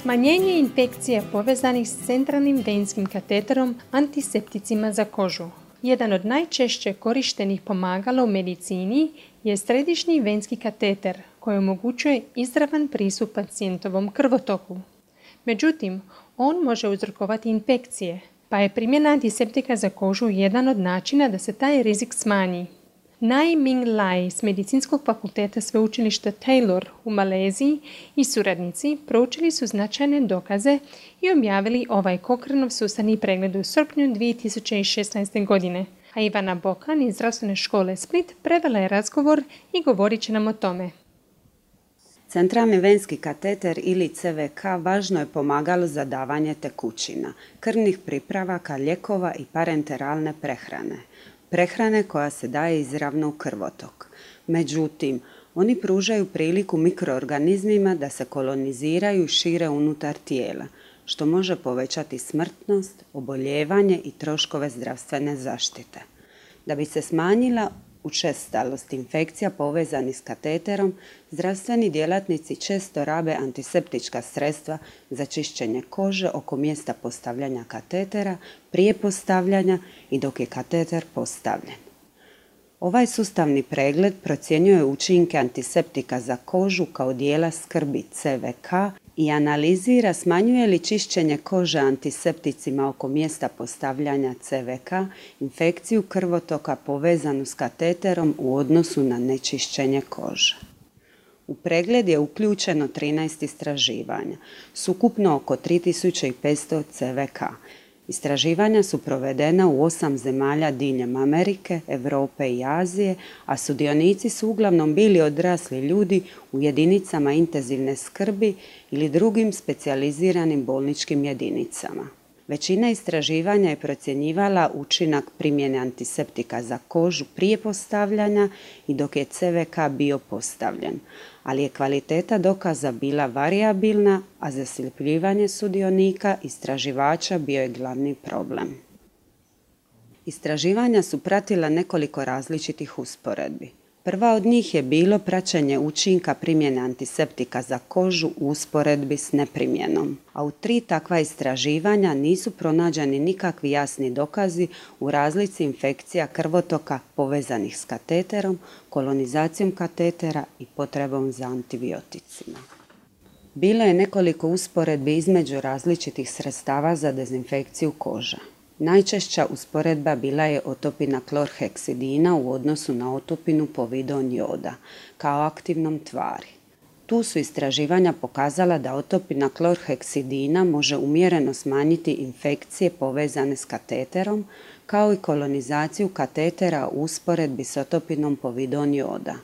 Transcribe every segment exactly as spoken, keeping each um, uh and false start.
Smanjenje infekcija povezanih s centralnim venskim kateterom antisepticima za kožu. Jedan od najčešće korištenih pomagala u medicini je središnji venski kateter koji omogućuje izravan pristup pacijentovom krvotoku. Međutim, on može uzrokovati infekcije, pa je primjena antiseptika za kožu jedan od načina da se taj rizik smanji. Nai Ming Lai s Medicinskog fakulteta sveučilišta Taylor u Maleziji i suradnici proučili su značajne dokaze i objavili ovaj Cochraneov sustavni pregled u srpnju dvije tisuće šesnaeste. godine, a Ivana Bokan iz Zdravstvene škole Split prevela je razgovor i govorit će nam o tome. Centralni venski kateter ili C V K važno je pomagalo za davanje tekućina, krvnih pripravaka, lijekova i parenteralne prehrane. Prehrane koja se daje izravno u krvotok. Međutim, oni pružaju priliku mikroorganizmima da se koloniziraju i šire unutar tijela, što može povećati smrtnost, oboljevanje i troškove zdravstvene zaštite. Da bi se smanjila učestalost infekcija povezanih s kateterom, zdravstveni djelatnici često rabe antiseptička sredstva za čišćenje kože oko mjesta postavljanja katetera, prije postavljanja i dok je kateter postavljen. Ovaj sustavni pregled procjenjuje učinke antiseptika za kožu kao dijela skrbi C V K i analizira smanjuje li čišćenje kože antisepticima oko mjesta postavljanja C V K infekciju krvotoka povezanu s kateterom u odnosu na nečišćenje kože. U pregled je uključeno trinaest istraživanja, ukupno oko tri tisuće petsto C V K. Istraživanja su provedena u osam zemalja diljem Amerike, Europe i Azije, a sudionici su uglavnom bili odrasli ljudi u jedinicama intenzivne skrbi ili drugim specijaliziranim bolničkim jedinicama. Većina istraživanja je procjenjivala učinak primjene antiseptika za kožu prije postavljanja i dok je C V K bio postavljen, ali je kvaliteta dokaza bila varijabilna, a zasljepljivanje sudionika istraživača bio je glavni problem. Istraživanja su pratila nekoliko različitih usporedbi. Prva od njih je bilo praćenje učinka primjene antiseptika za kožu u usporedbi s neprimjenom, a u tri takva istraživanja nisu pronađeni nikakvi jasni dokazi u razlici infekcija krvotoka povezanih s kateterom, kolonizacijom katetera i potrebom za antibioticima. Bilo je nekoliko usporedbi između različitih sredstava za dezinfekciju koža. Najčešća usporedba bila je otopina klorheksidina u odnosu na otopinu povidon joda kao aktivnom tvari. Tu su istraživanja pokazala da otopina klorheksidina može umjereno smanjiti infekcije povezane s kateterom kao i kolonizaciju katetera u usporedbi s otopinom povidon joda.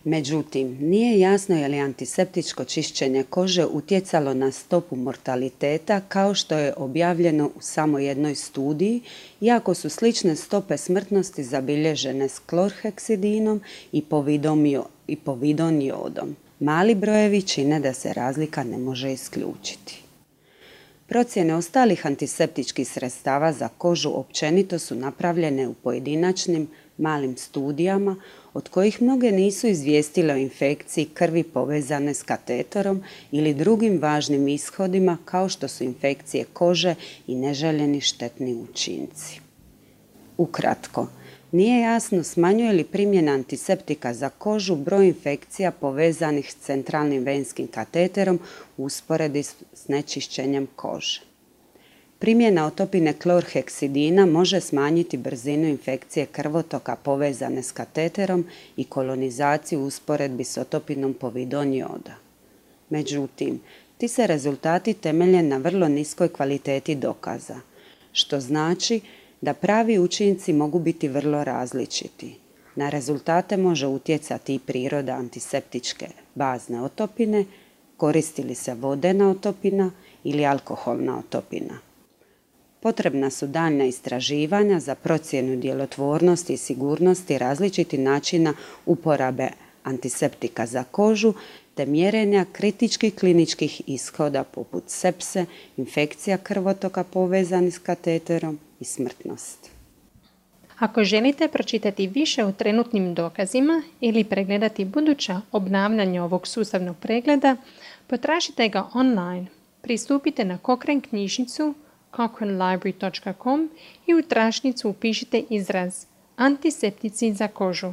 Međutim, nije jasno je li antiseptičko čišćenje kože utjecalo na stopu mortaliteta kao što je objavljeno u samo jednoj studiji, iako su slične stope smrtnosti zabilježene s klorheksidinom i povidon jodom. Mali brojevi čine da se razlika ne može isključiti. Procjene ostalih antiseptičkih sredstava za kožu općenito su napravljene u pojedinačnim malim studijama, od kojih mnoge nisu izvijestile o infekciji krvi povezane s kateterom ili drugim važnim ishodima kao što su infekcije kože i neželjeni štetni učinci. Ukratko, nije jasno smanjuje li primjena antiseptika za kožu broj infekcija povezanih s centralnim venskim kateterom u usporedbi s nečišćenjem kože. Primjena otopine klorheksidina može smanjiti brzinu infekcije krvotoka povezane s kateterom i kolonizaciju u usporedbi s otopinom povidon joda. Međutim, ti se rezultati temelje na vrlo niskoj kvaliteti dokaza, što znači da pravi učinci mogu biti vrlo različiti. Na rezultate može utjecati i priroda antiseptičke bazne otopine, koristi li se vodena otopina ili alkoholna otopina. Potrebna su daljnja istraživanja za procjenu djelotvornosti i sigurnosti različitih načina uporabe antiseptika za kožu te mjerenja kritičkih kliničkih ishoda poput sepse, infekcija krvotoka povezanih s kateterom i smrtnosti. Ako želite pročitati više o trenutnim dokazima ili pregledati buduća obnavljanja ovog sustavnog pregleda, potražite ga online pristupite na Cochrane knjižnicu cochrane library dot com i u tražnicu upišite izraz antiseptici za kožu.